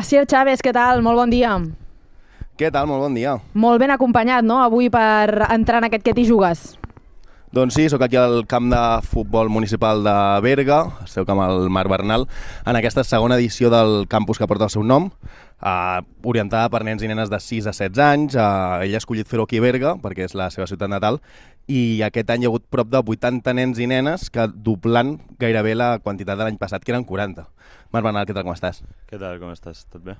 Asier Chávez, què tal? Molt bon dia. Què tal? Molt bon dia. Molt ben acompanyat, no?, avui per entrar en aquest Què t'hi jugues. Doncs sí, sóc aquí al camp de futbol municipal de Berga, seu camp al Marc Bernal, en aquesta segona edició del campus que porta el seu nom, orientada per nens i nenes de 6 a 16 anys. Ell ha escollit fer-ho aquí a Berga, perquè és la seva ciutat natal, i aquest any hi ha hagut prop de 80 nens i nenes, que doblant gairebé la quantitat de l'any passat, que eren 40. Marc Bernal, què tal, com estàs? Què tal, com estàs? Tot bé?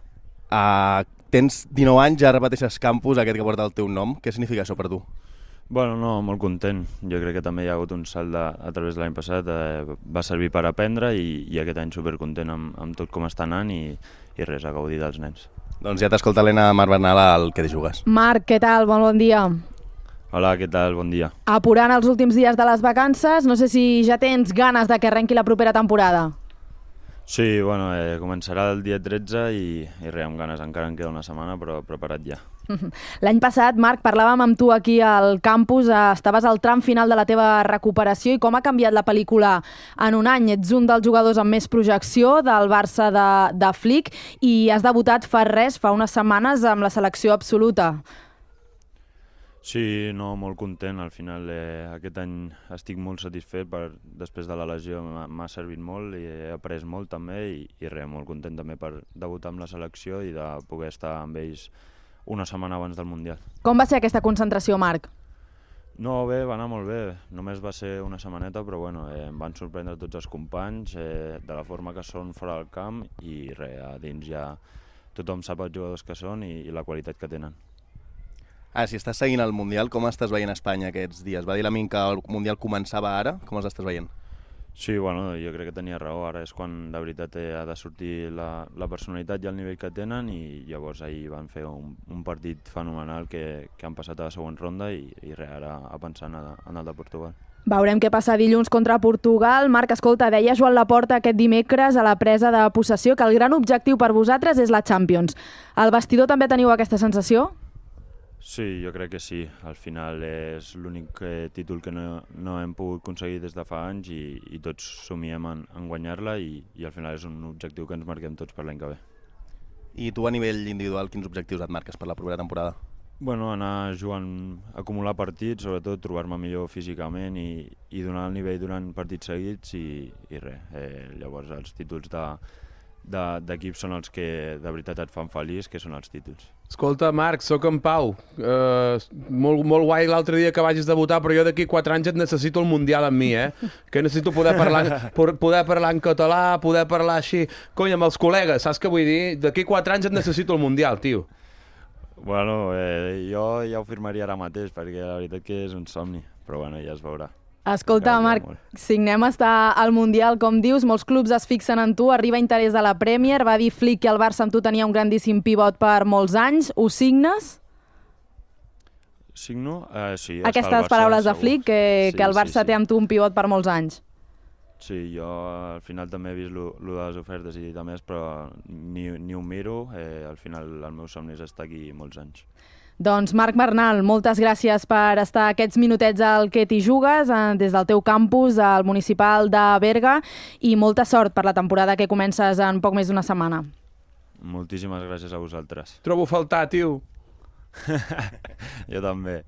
Tens 19 anys, ja repeteixes campus, aquest que porta el teu nom. Què significa això per tu? Bueno, no, molt content. Jo crec que també hi ha hagut un salt a través de l'any passat. Va servir per aprendre i aquest any supercontent amb tot com està anant i res, a gaudir dels nens. Doncs ja t'escolta l'Helena Marc Bernal al Què t'hi jugues. Marc, què tal? Molt bon dia. Hola, què tal? Bon dia. Apurant els últims dies de les vacances, no sé si ja tens ganes de que arrenqui la propera temporada. Sí, bueno, començarà el dia 13 i res, amb ganes. Encara en queda una setmana, però preparat ja. L'any passat, Marc, parlàvem amb tu aquí al campus, estaves al tram final de la teva recuperació i com ha canviat la pel·lícula en un any. Ets un dels jugadors amb més projecció del Barça de Flick i has debutat fa unes setmanes amb la selecció absoluta. Sí, no, molt content. Al final aquest any estic molt satisfet després de la lesió, m'ha servit molt i he après molt també i res, molt content també per debutar amb la selecció i de poder estar amb ells una setmana abans del Mundial. Com va ser aquesta concentració, Marc? No, bé, va anar molt bé. Només va ser una setmaneta, però bueno, em van sorprendre tots els companys de la forma que són fora del camp i res, a dins ja tothom sap els jugadors que són i la qualitat que tenen. Si estàs seguint el Mundial, com estàs veient Espanya aquests dies? Va dir l'amic que el Mundial començava ara, com els estàs veient? Sí, bueno, jo crec que tenia raó, ara és quan de veritat ha de sortir la personalitat i el nivell que tenen i llavors ahir van fer un partit fenomenal que han passat a la següent ronda i res, ara a pensar en el de Portugal. Veurem què passa dilluns contra Portugal. Marc, escolta, deia Joan Laporta aquest dimecres a la presa de possessió que el gran objectiu per vosaltres és la Champions. Al vestidor també teniu aquesta sensació? Sí, jo crec que sí. Al final és l'únic títol que no hem pogut aconseguir des de fa anys i tots somiem en guanyar-la i al final és un objectiu que ens marquem tots per l'any que ve. I tu a nivell individual, quins objectius et marques per la propera temporada? Bueno, anar jugant, acumular partits, sobretot trobar-me millor físicament i donar el nivell durant partits seguits i res. Llavors els títols d'equip són els que de veritat et fan feliç, que són els títols. Escolta, Marc, sóc en Pau. Molt guai l'altre dia que vagis debutar, però jo d'aquí 4 anys et necessito el Mundial amb mi, Que necessito poder parlar en català, poder parlar així. Cony, amb els col·legues, saps què vull dir? D'aquí 4 anys et necessito el Mundial, tio. Bueno, jo ja ho firmaria ara mateix, perquè la veritat que és un somni, però bueno, ja es veurà. Escolta, Marc, signem estar al Mundial, com dius, molts clubs es fixen en tu, arriba interès de la Premier, va dir Flick que el Barça amb tu tenia un grandíssim pivot per molts anys, ho signes? Signo? Sí. Aquestes paraules de Flick, que el Barça té amb tu un pivot per molts anys. Sí, jo al final també he vist lo de les ofertes i de més, però ni ho miro, al final el meu somni és estar aquí molts anys. Doncs Marc Bernal, moltes gràcies per estar aquests minutets al Què t'hi jugues des del teu campus, al municipal de Berga, i molta sort per la temporada que comences en poc més d'una setmana. Moltíssimes gràcies a vosaltres. Trobo a faltar, tio. Jo també.